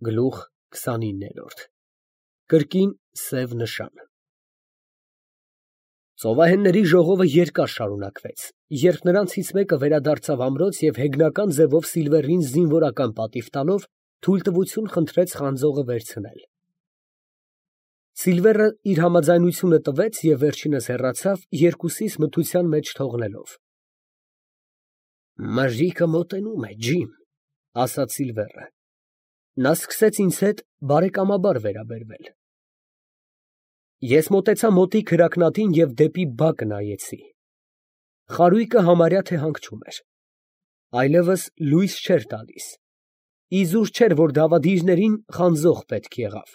Գլուխ 29 Կրկին սև նշան։ Ծովահենների ժողովը երկար շարունակվեց, երբ նրանցից մեկը վերադարձավ ամրոց և հեգնական ձևով Սիլվերին զինվորական պատիվ տալով թույլտվություն խնդրեց խանձողը վերցնել։ Սիլվերը իր համաձայնությունը տվեց և վերջինս հեռացավ, երկուսիս մթության մեջ թողնելով։ «Մրրիկը մոտենում է, ջիմ», ֊ ասաց Սիլվերը։ Նա սկսեց ինձ հետ բարեկամաբար վերաբերվել։ Ես մոտեցա մոտիկ հրակնատին և դեպի բակը նայեցի։ Խարույկը համարյա թե հանգչում էր։ Այլևս լույս չէր տալիս։ Իզուր չէր, որ դավադիրներին խանձող պետք եղավ։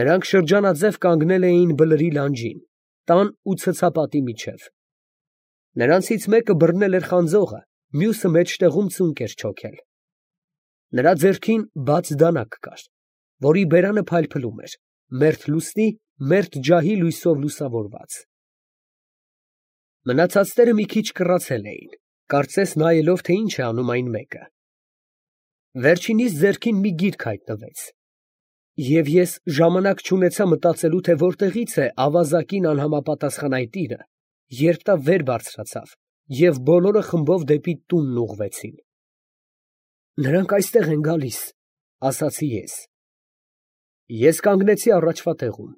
Նրանք շրջանաձև կանգնել էին բլրի լանջին, տան ու ցցապատի միջև։ Նրանցից մեկը բռնել էր խանձողը, մյուսը մեջտեղում ծունկ էր չոքել։ Նրա ձեռքին բաց դանակ կար, որի բերանը փայլփլում էր, մերթ լուսնի, մերթ ջահի լույսով լուսավորված։ Մնացածները մի քիչ կռացել էին, կարծես նայելով, թե ինչ է անում այն մեկը։ Վերջինիս ձեռքին մի գիրք հայտնվեց, և ես ժամանակ չունեցա մտածելու, թե որտեղից է ավազակին անհամապատասխան այդ տիրը, երբ նա վեր բարձրացավ և բոլորը խմբով դեպի տունն ուղղվեցին։ «Նրանք այստեղ են գալիս», ֊ ասացի ես։ Ես կանգնեցի առաջվա տեղում։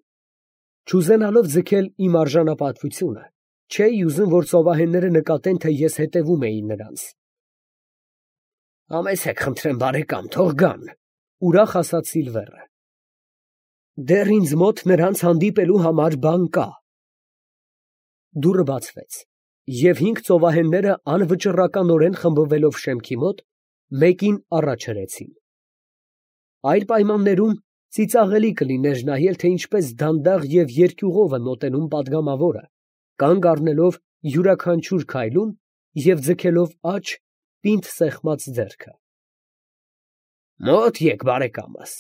Չուզենալով ձգել իմ արժանապատվությունը, չէի ուզում, որ ծովահենները նկատեն, թե ես հետևում էի նրանց։ «Համեցեք, խնդրեմ, բարեկամ, թող գան», ֊ ուրախ ասաց Սիլվերը։ «Դեռ ինձ մոտ նրանց հանդիպելու համար բան կա»։ Դուռը բացվեց, և 5 ծովահենները անվճռականորեն խմբվելով շեմքի մոտ, մեկին առաջ հրեցին։ Այլ պայմաններում ծիծաղելի կլիներ նայել, թե ինչպես դանդաղ և երկյուղով է մոտենում պատգամավորը, կանգ առնելով յուրաքանչյուր քայլում և ձգելով աջ, պինդ սեղմած ձեռքը։ «Մոտ եկ, բարեկամս,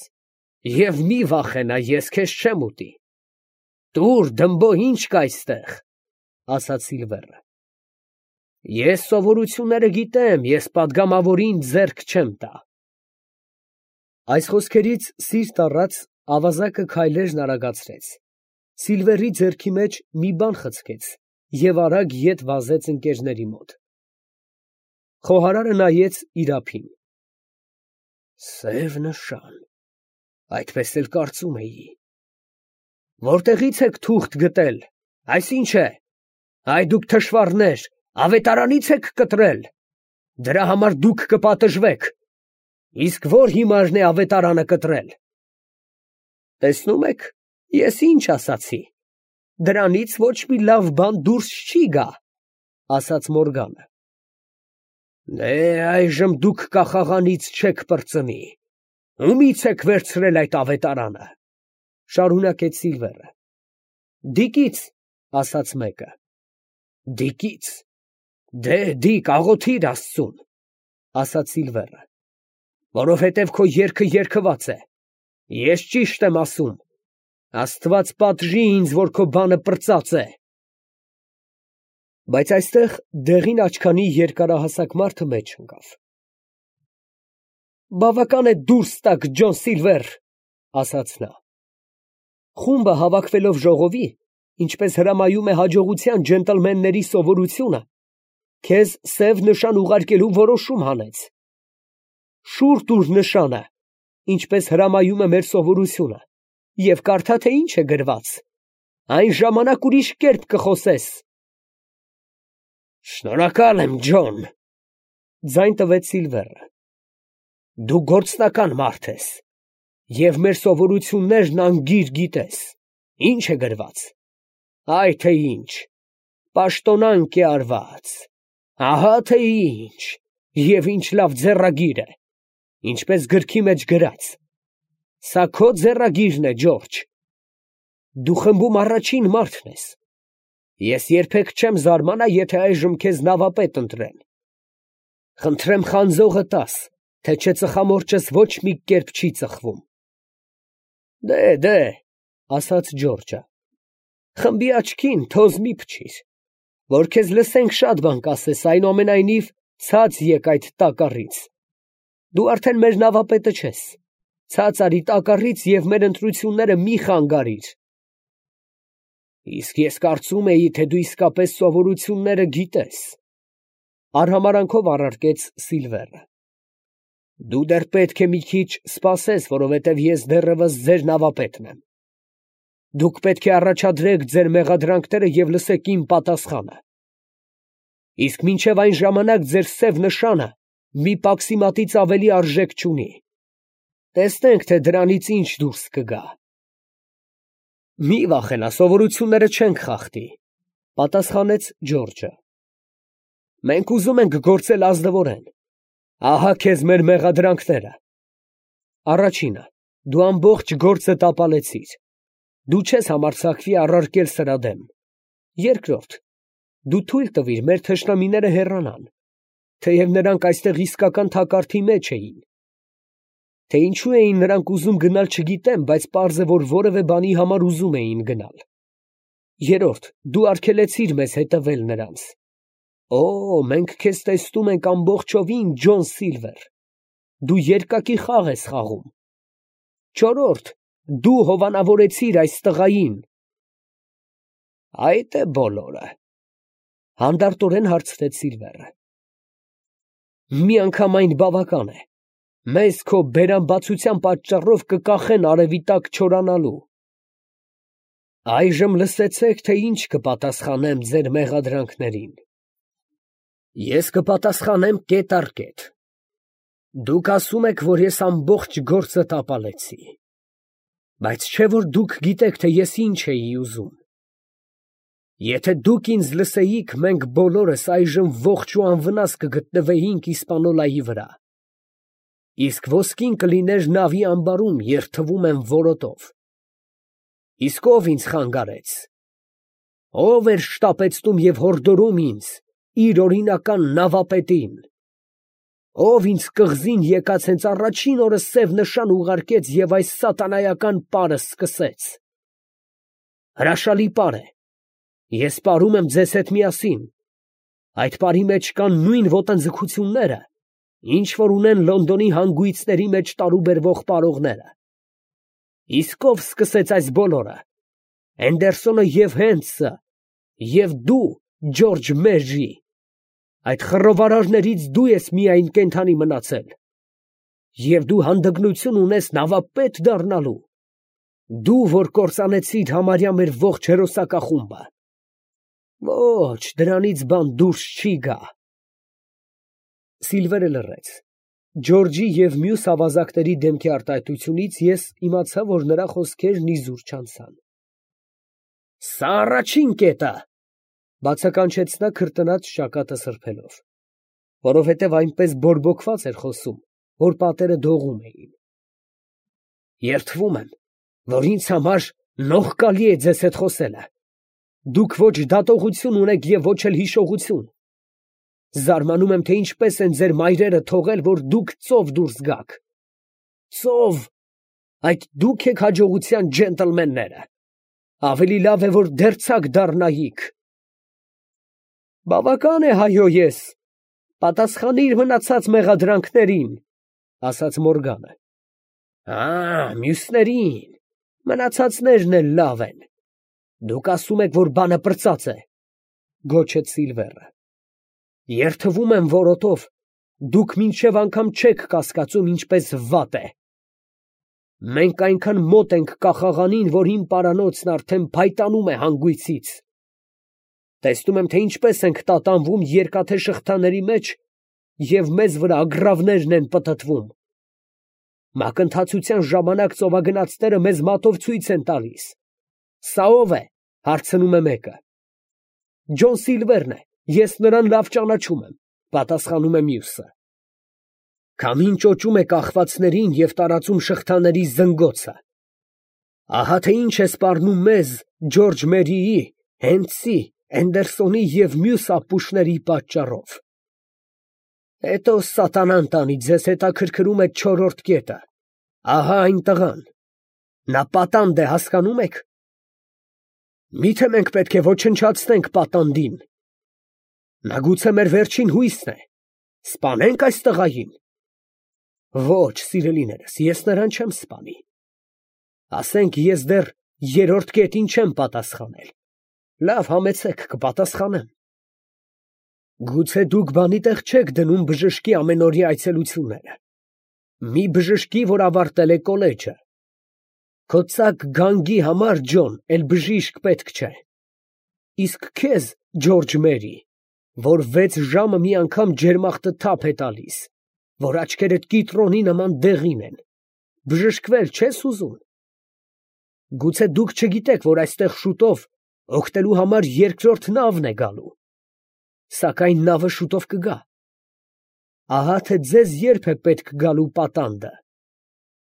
և մի վախենա, ես քեզ չեմ ուտի։ Տուր, դմբո, ինչ կա այստեղ», ֊ ասաց Սիլվերը։ «Ես սովորությունները գիտեմ, ես պատգամավորին ձեռք չեմ տա»։ Այս խոսքերից սիրտ առած ավազակը քայլերն արագացրեց, Սիլվերի ձեռքի մեջ մի բան խցկեց և արագ ետ վազեց ընկերների մոտ։ Խոհարարը նայեց իր ափին։ «Սև նշան, այդպես էլ կարծում էի։ Որտեղից եք թուղթ գտել, այս ի՞նչ է։ Այ դուք թշվառներ, ավետարանի՞ց եք կտրել։ Դրա համար դուք կպատժվեք։ Իսկ ո՞ր հիմարն է ավետարանը կտրել։ Տեսնում եք, ես ինչ ասացի, դրանից ոչ մի լավ բան դուրս չի գա, ֊ ասաց Մորգանը։ Դե այժմ դուք կախաղանից չեք պրծնի։ Ումի՞ց եք վերցրել այդ ավետարանը, ֊ շարունակեց Սիլվերը։ Դիկից, ֊ ասաց մեկը։ Դիկից։ Դե դիկ, աղոթիր Աստծուն, ֊ ասաց Սիլվերը, որովհետև քո երգը երգված է։ Ես ճիշտ եմ ասում։ Աստված պատժի ինձ, որ քո բանը պրծած է։ Բայց այստեղ դեղին աչքանի երկարահասակ մարդը մեջ ընկավ։ Բավական է դուրս տաք, Ջոն Սիլվեր, ֊ ասաց նա։ Խումբը հավաքվելով ժողովի, ինչպես հրամայում է հաջողության ջենտլմենների սովորությունը, քեզ սև նշան ուղարկելու որոշում հանեց։ Շուռ տուր նշանը, ինչպես հրամայում է մեր սովորությունը, և կարդա, թե ինչ է գրված։ Այն ժամանակ ուրիշ կերպ կխոսես։ Շնորհակալ եմ, Ջոն, ֊ ձայն տվեց Սիլվերը։ Դու գործնական մարդ ես, և մեր սովորություններն անգիր գիտես։ Ինչ է գրված։ Այ թե ինչ, պաշտոնանկ է արված։ Ահա թե ինչ, և ինչ լավ ձեռագիր է, ինչպես գրքի մեջ գրած։ Սա քո ձեռագիրն է, Ջորջ։ Դու խմբում առաջին մարդն ես։ Ես երբեք չեմ զարմանա, եթե այժմ քեզ նավապետ ընտրեն։ Խնդրեմ խանձողը տաս, թե չէ ծխամորճս ոչ մի կերպ չի ծխվում։ Դե, ֊ ասաց Ջորջը, խմբի աչքին թոզ մի փչիր, որ քեզ լսենք շատ բան կասես, այնուամենայնիվ ցած եկ այդ տակառից։ Դու արդեն մեր նավապետը չես, Ցած արի տակառից և մեր ընտրությունները մի խանգարիր։ Իսկ ես կարծում էի, թե դու իսկապես սովորությունները գիտես, արհամարանքով առարկեց Սիլվերը։ Դու դեռ պետք է մի քիչ սպասես, որովհետև ես դեռևս ձեր նավապետն եմ։ Դուք պետք է առաջադրեք ձեր մեղադրանքները և լսեք իմ պատասխանը։ Իսկ մինչև այն ժամանակ ձեր սև նշանը մի պաքսիմատից ավելի արժեք չունի։ Տեսնենք, թե դրանից ինչ դուրս կգա։ Մի վախենա, սովորությունները չենք խախտի, պատասխանեց Ջորջը։ Մենք ուզում ենք գործել ազնվորեն։ Ահա քեզ մեր մեղադրանքները։ Առաջինը, դու ամբողջ գործը տապալեցիր։ Դու չես համարձակվի առարկել սրա դեմ։ Երկրորդ, դու թույլ տվիր մեր թշնամիները հեռանան, թեև նրանք այստեղ իսկական թակարդի մեջ էին։ Թե ինչու էին նրանք ուզում գնալ չգիտեմ, բայց պարզ է, որ որևէ բանի համար ուզում էին գնալ։ Երրորդ, դու արգելեցիր մեզ հետևել նրանց։ Օ, մենք քեզ տեսնում ենք ամբողջովին, Ջոն Սիլվեր։ Դու երկակի խաղ ես խաղում։ Չորրորդ, դու հովանավորեցիր այս տղային։ Այդ է բոլորը, հանդարտորեն հարցրեց Սիլվերը։ Միանգամայն բավական է։ Մեզ քո բերանբացության պատճառով կկախեն արևի տակ չորանալու։ Այժմ լսեցեք, թե ինչ կպատասխանեմ ձեր մեղադրանքներին։ Ես կպատասխանեմ կետ առ կետ։ Դուք ասում եք, որ ես ամբողջ գործը տապալեցի։ Բայց չէ՞ որ դուք գիտեք, թե ես ինչ էի ուզում։ Եթե դուք ինձ լսեիք, մենք բոլորս այժմ ողջ ու անվնաս կգտնվեինք Իսպանոլայի վրա։ Իսկ ոսկին կլիներ նավի ամբարում, երթվում եմ որոտով։ Իսկ ով ինձ խանգարեց։ Ով էր շտապեցնում և հորդորում ինձ, իր օրինական նավապետին։ Ով ինձ կղզին եկած հենց առաջին օրը սև նշան ուղարկեց և այս սատանայական պարը սկսեց։ Հրաշալի պար է։ Ես պարում եմ ձեզ հետ միասին։ Այդ պարի մեջ կան նույն ոտնձգությունները, ինչ որ ունեն Լոնդոնի հանգույցների մեջ տարուբերվող պարողները։ Իսկ ով սկսեց այս բոլորը։ Էնդերսոնը և Հենթսը, և դու, Ջորջ Մեժի։ Այդ խռովարարներից դու ես միայն կենդանի մնացել։ Եվ դու հանդգնություն ունես նավապետ դառնալու։ Դու, որ կործանեցիր համարյա մեր ողջ հերոսակախումբը։ Ոչ, դրանից բան դուրս չի գա։ Սիլվերը լռեց։ Ջորջի և մյուս ավազակների դեմքի արտահայտությունից ես իմացա, որ նրա խոսքերն իզուր չանցան։ Սա առաջին կետը, բացականչեց նա քրտնած ճակատը սրբելով, որովհետև այնպես բորբոքված էր խոսում, որ պատերը դողում էին։ Երդվում եմ, որ ինձ համար նողկալի է ձեզ հետ խոսելը։ Դուք ոչ դատողություն ունեք և ոչ էլ հիշողություն։ Զարմանում եմ, թե ինչպես են ձեր մայրերը թողել, որ դուք ծով դուրս գաք։ Ծով, այդ դուք եք հաջողության ջենտլմենները։ Ավելի լավ է, որ դերձակ դառնայիք։ Բավական է, հայո ես, պատասխանիր մնացած մեղադրանքներին, ասաց Մորգանը։ Մյուսներին, մնացածներն էլ լավ են։ Դուք ասում եք, որ բանը պրծած է, գոչեց Սիլվերը։ Երդվում եմ որոտով, դուք մինչև անգամ չեք կասկածում, ինչպես վատ է։ Մենք այնքան մոտ ենք կախաղանին, որ իմ պարանոցն արդեն փայտանում է հանգույցից։ Տեսնում եմ, թե ինչպես ենք տատանվում երկաթե շղթաների մեջ և մեզ վրա ագռավներն են պտտվում։ Մակընթացության ժամանակ ծովագնացները մեզ մատով ցույց են տալիս։ Սա ով է, հարցնում է մեկը։ Ջոն Սիլվերն է, ես նրան լավ ճանաչում եմ, պատասխանում է մյուսը։ Քամին ճոճում է կախվածներին և տարածում շղթաների զնգոցը։ Ահա թե ինչ է սպառնում մեզ Ջորջ Մերիի, Հենթսի, Էնդերսոնի և մյուս ապուշների պատճառով։ Հետո սատանան տանի, ձեզ հետաքրքրում է չորրորդ կետը։ Ահա այն տղան։ Նա պատանդ է, հասկանում եք։ Միթե մենք պետք է ոչնչացնենք պատանդին։ Նա գուցե մեր վերջին հույսն է։ Սպանե՞նք այս տղային։ Ոչ, սիրելիներս, ես նրան չեմ սպանի։ Ասենք ես դեռ երրորդ կետին չեմ պատասխանել։ Լավ, համեցեք, կպատասխանեմ։ Գուցե դուք բանի տեղ չեք դնում բժշկի ամենօրյա այցելությունները։ Մի բժշկի, որ ավարտել է կոլեջը։ Քո ծակ գանգի համար, Ջոն, էլ բժիշկ պետք չէ։ Իսկ քեզ, Ջորջ Մերի, որ 6 ժամը մի անգամ ջերմախտը թափ է տալիս, որ աչքերդ կիտրոնի նման դեղին են, բժշկվել չես ուզում։ Գուցե դուք չգիտեք, որ այստեղ շուտով օգտելու համար երկրորդ նավն է գալու, սակայն նավը շուտով կգա։ Ահա թե ձեզ երբ է պետք գալու պատանդը։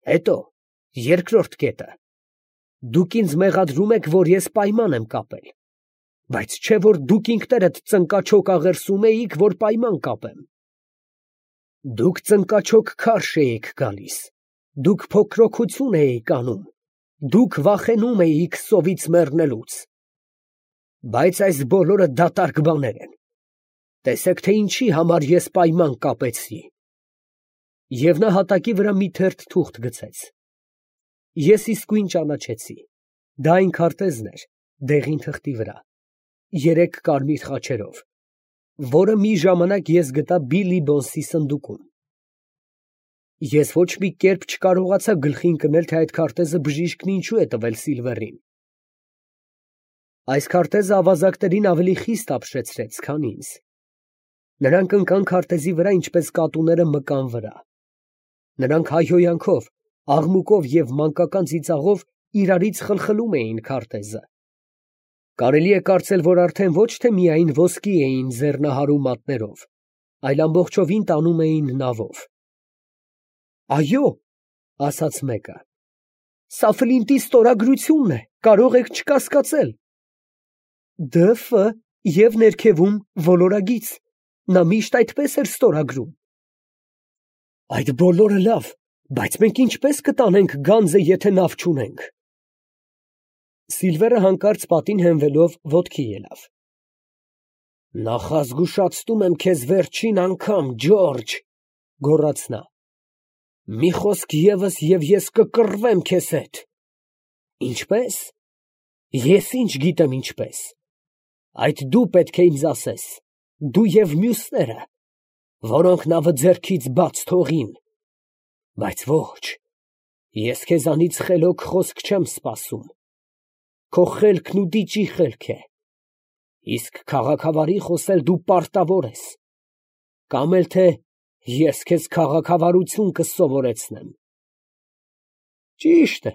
Հետո, երկրորդ կետը. դուք ինձ մեղադրում եք, որ ես պայման եմ կապել, բայց չէ որ դուք ինքներդ ծնկաչոք աղերսում էիք, որ պայման կապեմ։ Դուք ծնկաչոք քարշ էիք գալիս, դուք փոքրոքություն էիք անում, դուք վախենում էիք սովից մեռնելուց։ Բայց այս բոլորը դատարկ բաներ են։ Տեսեք, թե ինչի համար ես պայման կապեցի։ Եվ նա հատակի վրա մի թերթ թուղթ գցեց։ Ես իսկույն ճանաչեցի։ Դա այն քարտեզն էր, դեղին թղթի վրա, 3 կարմիր խաչերով, որը մի ժամանակ ես գտա Բիլլի Բոնսի սնդուկում։ Ես ոչ մի կերպ չկարողացա գլխի ընկնել, թե այդ քարտեզը բժիշկն ինչու է տվել Սիլվերին։ Այս քարտեզը ավազակներին ավելի խիստ ապշեցրեց, քան ինձ։ Նրանք ընկան քարտեզի վրա, ինչպես կատուները մկան վրա։ Նրանք հայհոյանքով, աղմուկով և մանկական ծիծաղով իրարից խլխլում էին քարտեզը։ Կարելի է կարծել, որ արդեն ոչ թե միայն ոսկի էին ձեռնահարում մատներով, այլ ամբողջովին տանում էին նավով։ Այո, ասաց մեկը, սա Ֆլինտի ստորագրությունն է, կարող եք չկասկածել։ Դ.Ֆ. և ներքևում ոլորագիծ, նա միշտ այդպես էր ստորագրում։ Այդ բոլորը լավ, բայց մենք ինչպես կտանենք գանձը, եթե նավ չունենք։ Սիլվերը հանկարծ պատին հենվելով ոտքի ելավ։ Նախազգուշացնում եմ քեզ վերջին անգամ, Ջորջ, գոռաց նա։ Մի խոսք ևս և ես կկռվեմ քեզ հետ։ Ինչպես։ Ես ինչ գիտեմ ինչպես։ Այդ դու պետք է ինձ ասես, դու և մյուսները, որոնք նավը ձեռքից բաց թողին։ Բայց ոչ, ես քեզանից խելոք խոսք չեմ սպասում։ Քո խելքն ու դիճի խելք է։ Իսկ քաղաքավարի խոսել դու պարտավոր ես։ Կամ էլ թե ես քեզ քաղաքավարություն կսովորեցնեմ։ Ճիշտ է,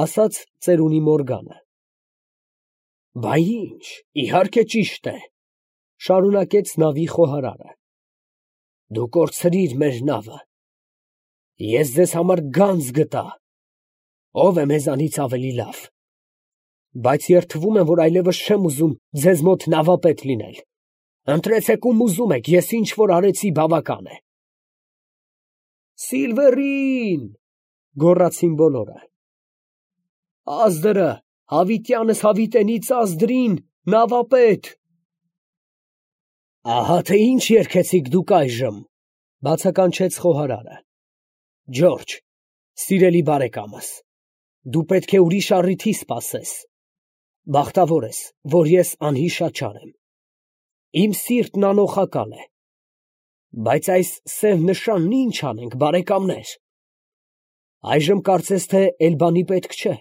ասաց ծերունի Մորգանը։ Բա ինչ, իհարկե ճիշտ է, շարունակեց նավի խոհարարը։ Դու կորցրիր մեր նավը։ Ես ձեզ համար գանձ գտա։ Ով է մեզանից ավելի լավ։ Բայց երդվում եմ, որ այլևս չեմ ուզում ձեզ մոտ նավապետ լինել։ Ընտրեցեք ում ուզում եք, ես ինչ որ արեցի բավական է։ Սիլվերին, գոռացին բոլորը։ Ազդրը, հավիտյանս հավիտենից ազդրին, նավապետ։ Ահա թե ինչ երգեցիք դուք այժմ, բացականչեց խոհարարը։ Ջորջ, սիրելի բարեկամս, դու պետք է ուրիշ առիթի սպասես։ Բախտավոր ես, որ ես անհիշաչար եմ։ Իմ սիրտն անոխակալ է։ Բայց այս սև նշանն ինչ անենք, բարեկամներ։ Այժմ կարծես թե Էլբանի պետք չէ։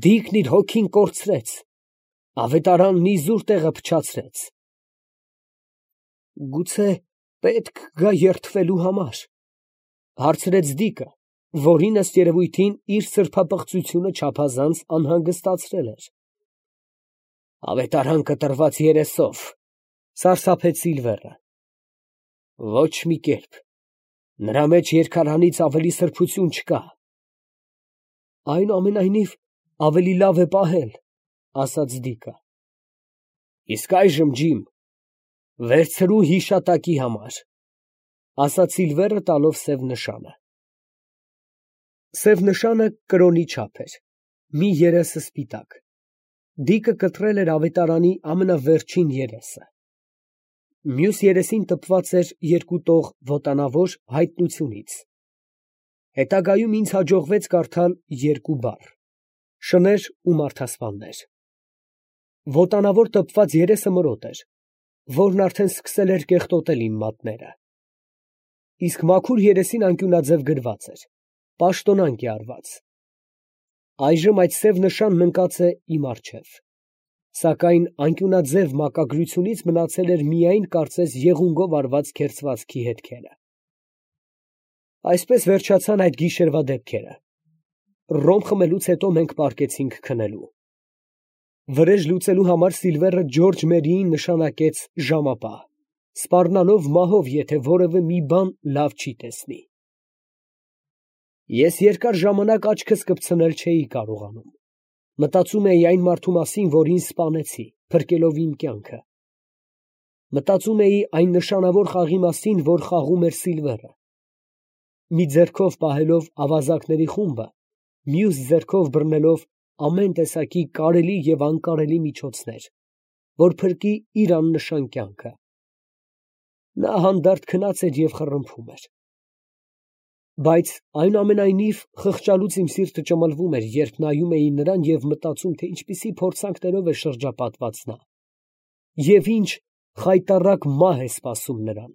Դիկն իր հոգին կորցրեց, ավետարանն իզուր տեղը փչացրեց։ Գուցե պետք գա երդվելու համար, հարցրեց Դիկը, որին ըստ երևույթին իր սրբապղծությունը չափազանց անհանգստացրել էր։ Ավետարան կտրված երեսով, սարսափեց Սիլվերը։ Ոչ մի կերպ, նրա մեջ երկարանից ավելի սրբություն չկա։ Այնուամենայնիվ, ավելի լավ է պահել, ասաց Դիկը։ Իսկ այժմ, Ջիմ, վերցրու հիշատակի համար, ասաց Սիլվերը տալով սև նշանը։ Սև նշանը կրոնի չափ էր, մի երեսը սպիտակ։ Դիկը կտրել էր ավետարանի ամենավերջին երեսը։ Մյուս երեսին տպված էր երկու տող ոտանավոր հայտնությունից։ Հետագայում ինձ հաջողվեց կարդալ երկու բառ. շներ ու մարդասպաններ։ Ոտանավոր տպված երեսը մորոտ էր, որն արդեն սկսել էր կեղտոտել իմ մատները։ Իսկ մաքուր երեսին անկյունաձև գրված էր. պաշտոնանկ է արված։ Այժմ այդ սև նշանն ընկած է իմ առջև, սակայն անկյունաձև մակագրությունից մնացել էր միայն կարծես եղունգով արված քերծվածքի հետքերը։ Այսպես վերջացան այդ գիշերվա դեպքերը։ Ռոմ խմելուց հետո մենք պառկեցինք քնելու։ Վրեժ լուծելու համար Սիլվերը Ջորջ Մերիին նշանակեց ժամապահ, սպառնալով մահով, եթե որևէ մի բան լավ չի տեսնի։ Ես երկար ժամանակ աչքս կպցնել չէի կարողանում։ Մտածում էի այն մարդու մասին, որին սպանեցի, փրկելով իմ կյանքը։ Մտածում էի այն նշանավոր խաղի մասին, որ խաղում էր Սիլվերը։ Մի ձեռքով պահելով ավազակների խումբը, մյուս ձեռքով բռնելով ամեն տեսակի կարելի և անկարելի միջոցներ, որ փրկի իր աննշան կյանքը։ Նա հանդարտ քնած էր և խռմփում էր։ Բայց այնուամենայնիվ խղճալուց իմ սիրտը ճմլվում էր, երբ նայում էի նրան և մտածում, թե ինչպիսի փորձանքներով է շրջապատված նա, և ինչ խայտառակ մահ է սպասում նրան։